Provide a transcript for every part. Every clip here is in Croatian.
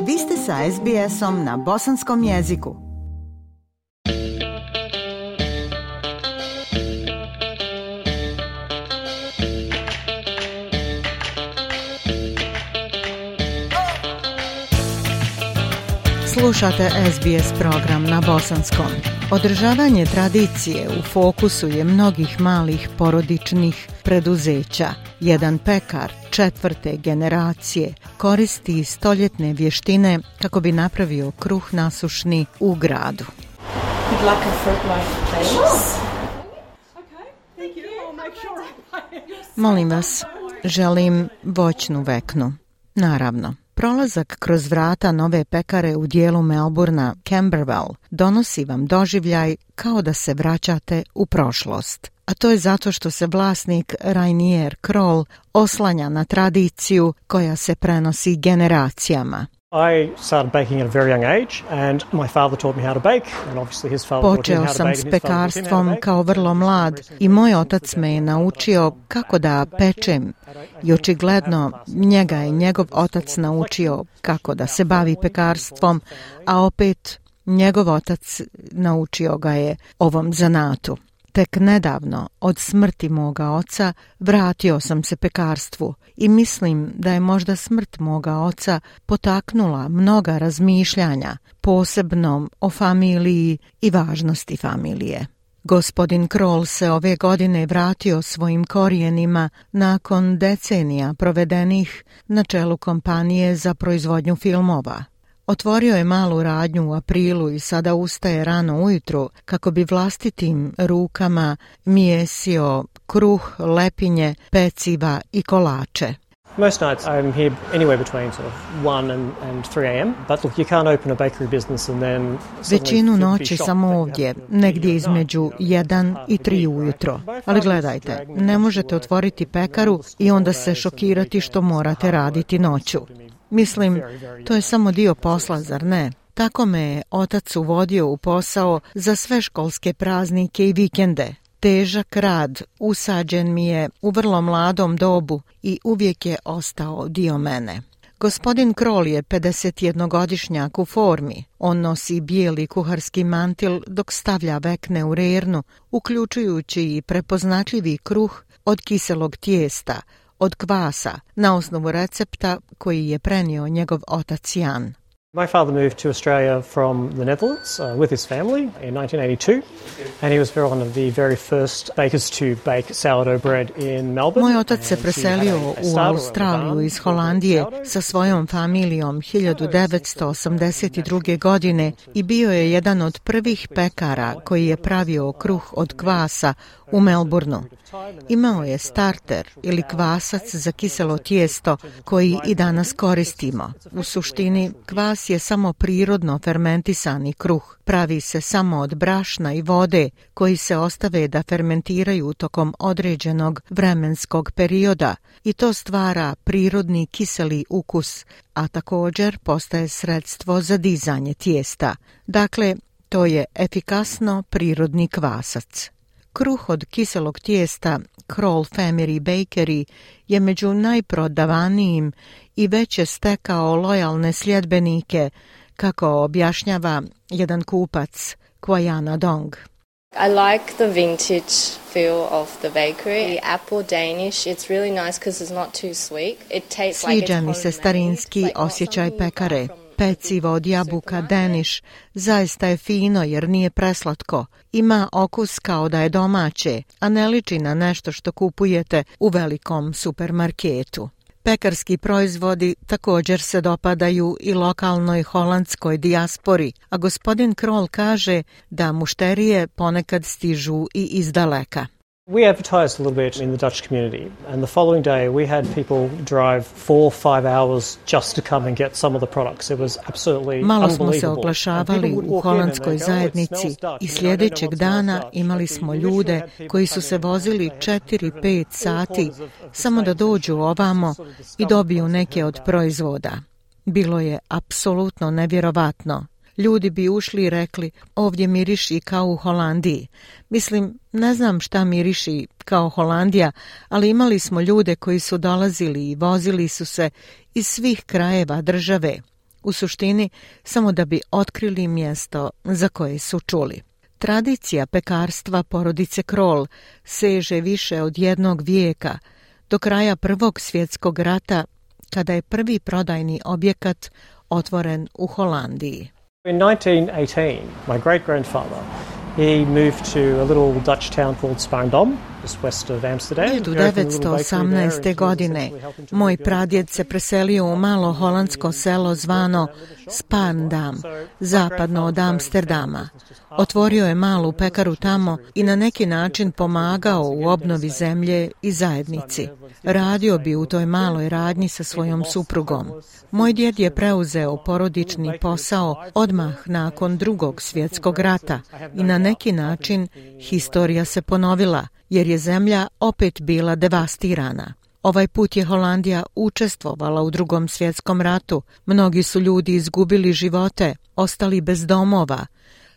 Vi ste sa SBS-om na bosanskom jeziku. Slušate SBS program na bosanskom. Održavanje tradicije u fokusu je mnogih malih porodičnih preduzeća. Jedan pekar 4. generacije koristi stoljetne vještine kako bi napravio kruh nasušni u gradu. Molim vas, želim voćnu veknu. Naravno. Prolazak kroz vrata nove pekare u dijelu Melbourna, Camberwell, donosi vam doživljaj kao da se vraćate u prošlost. A to je zato što se vlasnik Rainier Kroll oslanja na tradiciju koja se prenosi generacijama. Počeo sam s pekarstvom kao vrlo mlad i moj otac me je naučio kako da pečem i očigledno njega je njegov otac naučio kako da se bavi pekarstvom, a opet njegov otac naučio ga je ovom zanatu. Tek nedavno, od smrti moga oca, vratio sam se pekarstvu i mislim da je možda smrt moga oca potaknula mnoga razmišljanja, posebno o familiji i važnosti familije. Gospodin Kroll se ove godine vratio svojim korijenima nakon decenija provedenih na čelu kompanije za proizvodnju filmova. Otvorio je malu radnju u aprilu i sada ustaje rano ujutru kako bi vlastitim rukama mijesio kruh, lepinje, peciva i kolače. Most nights I'm here anywhere between sort of 1 and 3 a.m. But look, you can't open a bakery business and then većinu noći sam ovdje, negdje između 1 i 3 ujutro. Ali gledajte, ne možete otvoriti pekaru i onda se šokirati što morate raditi noću. Mislim, to je samo dio posla, zar ne? Tako me je otac uvodio u posao za sve školske praznike i vikende. Težak rad usađen mi je u vrlo mladom dobu i uvijek je ostao dio mene. Gospodin Kroll je 51-godišnjak u formi. On nosi bijeli kuharski mantil dok stavlja vekne u rernu, uključujući i prepoznatljivi kruh od kiselog tijesta, od kvasa, na osnovu recepta koji je prenio njegov otac Jan. My father moved to Australia from the Netherlands with his family in 1982, and he was one of the very first bakers to bake sourdough bread in Melbourne. Moj otac se preselio u Australiju iz Holandije sa svojom familijom 1982. godine i bio je jedan od prvih pekara koji je pravio kruh od kvasa u Melbourneu. Imao je starter ili kvasac za kiselo tijesto koji i danas koristimo. U suštini, kvas je samo prirodno fermentisani kruh. Pravi se samo od brašna i vode koji se ostave da fermentiraju tokom određenog vremenskog perioda i to stvara prirodni kiseli ukus, a također postaje sredstvo za dizanje tijesta. Dakle, to je efikasno prirodni kvasac. Kruh od kiselog tijesta Kroll Family Bakery je među najprodavanijim i već je stekao lojalne sljedbenike, kako objašnjava jedan kupac, Kwajana Dong. I like the vintage feel of the bakery. The apple Danish, it's really nice because it's not too sweet. It tastes like Sviđa mi se starinski osjećaj pekare. Pecivo od jabuka Danish zaista je fino jer nije preslatko. Ima okus kao da je domaće, a ne liči na nešto što kupujete u velikom supermarketu. Pekarski proizvodi također se dopadaju i lokalnoj holandskoj dijaspori, a gospodin Kroll kaže da mušterije ponekad stižu i iz daleka. We advertised a little bit in the Dutch community, and the following day we had people drive 4-5 hours just to come and get some of the products. It was absolutely malo smo se oglašavali u holandskoj zajednici i sljedećeg dana imali smo ljude koji su se vozili 4-5 sati samo da dođu ovamo i dobiju neke od proizvoda. Bilo je apsolutno nevjerovatno. Ljudi bi ušli i rekli, ovdje miriši kao u Holandiji. Mislim, ne znam šta miriši kao Holandija, ali imali smo ljude koji su dolazili i vozili su se iz svih krajeva države. U suštini, samo da bi otkrili mjesto za koje su čuli. Tradicija pekarstva porodice Kroll seže više od 1 vijeka, do kraja Prvog svjetskog rata, kada je prvi prodajni objekat otvoren u Holandiji. In 1918, my great-grandfather, he moved to a little Dutch town called Spaarndam, just west of Amsterdam. 1918. godine moj pradjed se preselio u malo holandsko selo zvano Spaarndam, zapadno od Amsterdama. Otvorio je malu pekaru tamo i na neki način pomagao u obnovi zemlje i zajednici. Radio bi u toj maloj radnji sa svojom suprugom. Moj djed je preuzeo porodični posao odmah nakon Drugog svjetskog rata i na neki način historija se ponovila, jer je zemlja opet bila devastirana. Ovaj put je Holandija učestvovala u Drugom svjetskom ratu. Mnogi su ljudi izgubili živote, ostali bez domova.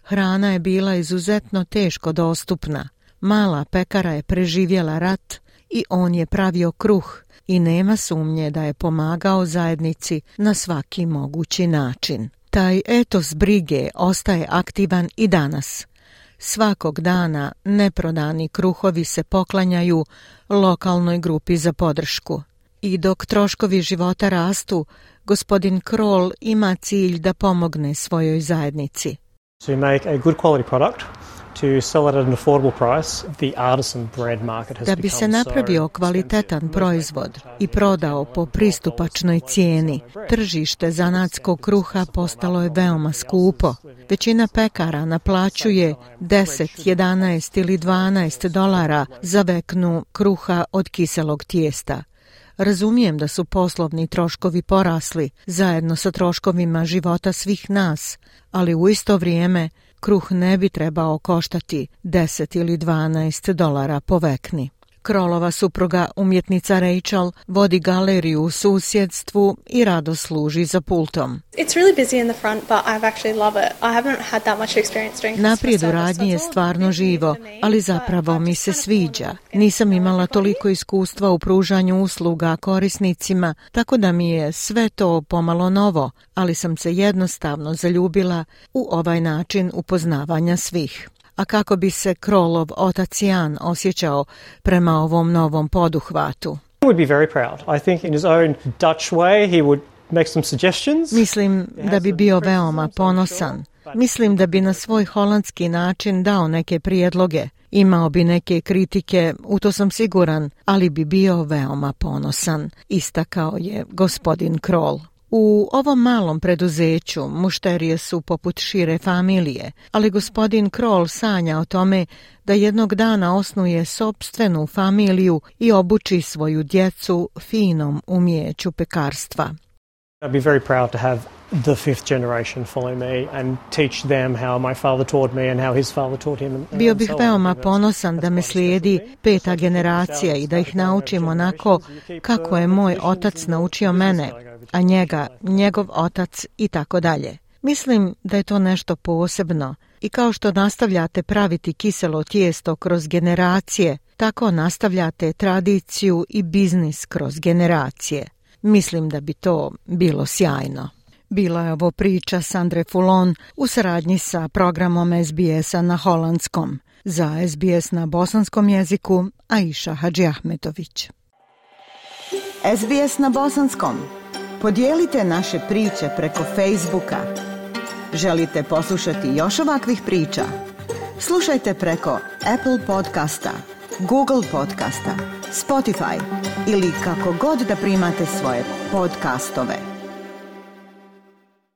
Hrana je bila izuzetno teško dostupna. Mala pekara je preživjela rat i on je pravio kruh i nema sumnje da je pomagao zajednici na svaki mogući način. Taj etos brige ostaje aktivan i danas. Svakog dana neprodani kruhovi se poklanjaju lokalnoj grupi za podršku. I dok troškovi života rastu, gospodin Kroll ima cilj da pomogne svojoj zajednici. To make a good quality product, to sell it at an affordable price, the artisan bread market has Da bi se napravio kvalitetan proizvod i prodao po pristupačnoj cijeni, tržište zanatskog kruha postalo je veoma skupo. Većina pekara naplaćuje 10, 11 ili $12 za veknu kruha od kiselog tijesta. Razumijem da su poslovni troškovi porasli zajedno sa troškovima života svih nas, ali u isto vrijeme kruh ne bi trebao koštati 10 ili $12 po vekni. Krollova supruga, umjetnica Rachel, vodi galeriju u susjedstvu i rado služi za pultom. Naprijed u radnji je stvarno živo, ali zapravo mi se sviđa. Nisam imala toliko iskustva u pružanju usluga korisnicima, tako da mi je sve to pomalo novo, ali sam se jednostavno zaljubila u ovaj način upoznavanja svih. A kako bi se Krollov otac Jan osjećao prema ovom novom poduhvatu? Mislim da bi bio veoma ponosan. Mislim da bi na svoj holandski način dao neke prijedloge. Imao bi neke kritike, u to sam siguran, ali bi bio veoma ponosan, istakao je gospodin Kroll. U ovom malom preduzeću mušterije su poput šire familije, ali gospodin Kroll sanja o tome da jednog dana osnuje sopstvenu familiju i obuči svoju djecu finom umijeću pekarstva. I'd be very proud to have the fifth generation follow me and teach them how my father taught me and how his father taught him. Bio bih veoma ponosan da me slijedi 5. generacija i da ih naučim onako kako je moj otac naučio mene, a njega, njegov otac i tako dalje. Mislim da je to nešto posebno i kao što nastavljate praviti kiselo tijesto kroz generacije, tako nastavljate tradiciju i biznis kroz generacije. Mislim da bi to bilo sjajno. Bila je ovo priča Sandre Fulon u saradnji sa programom SBS-a na holandskom. Za SBS na bosanskom jeziku Aisha Hadžiahmetović. SBS na bosanskom. Podijelite naše priče preko Facebooka. Želite poslušati još ovakvih priča? Slušajte preko Apple podcasta, Google podcasta, Spotify ili kako god da primate svoje podcastove.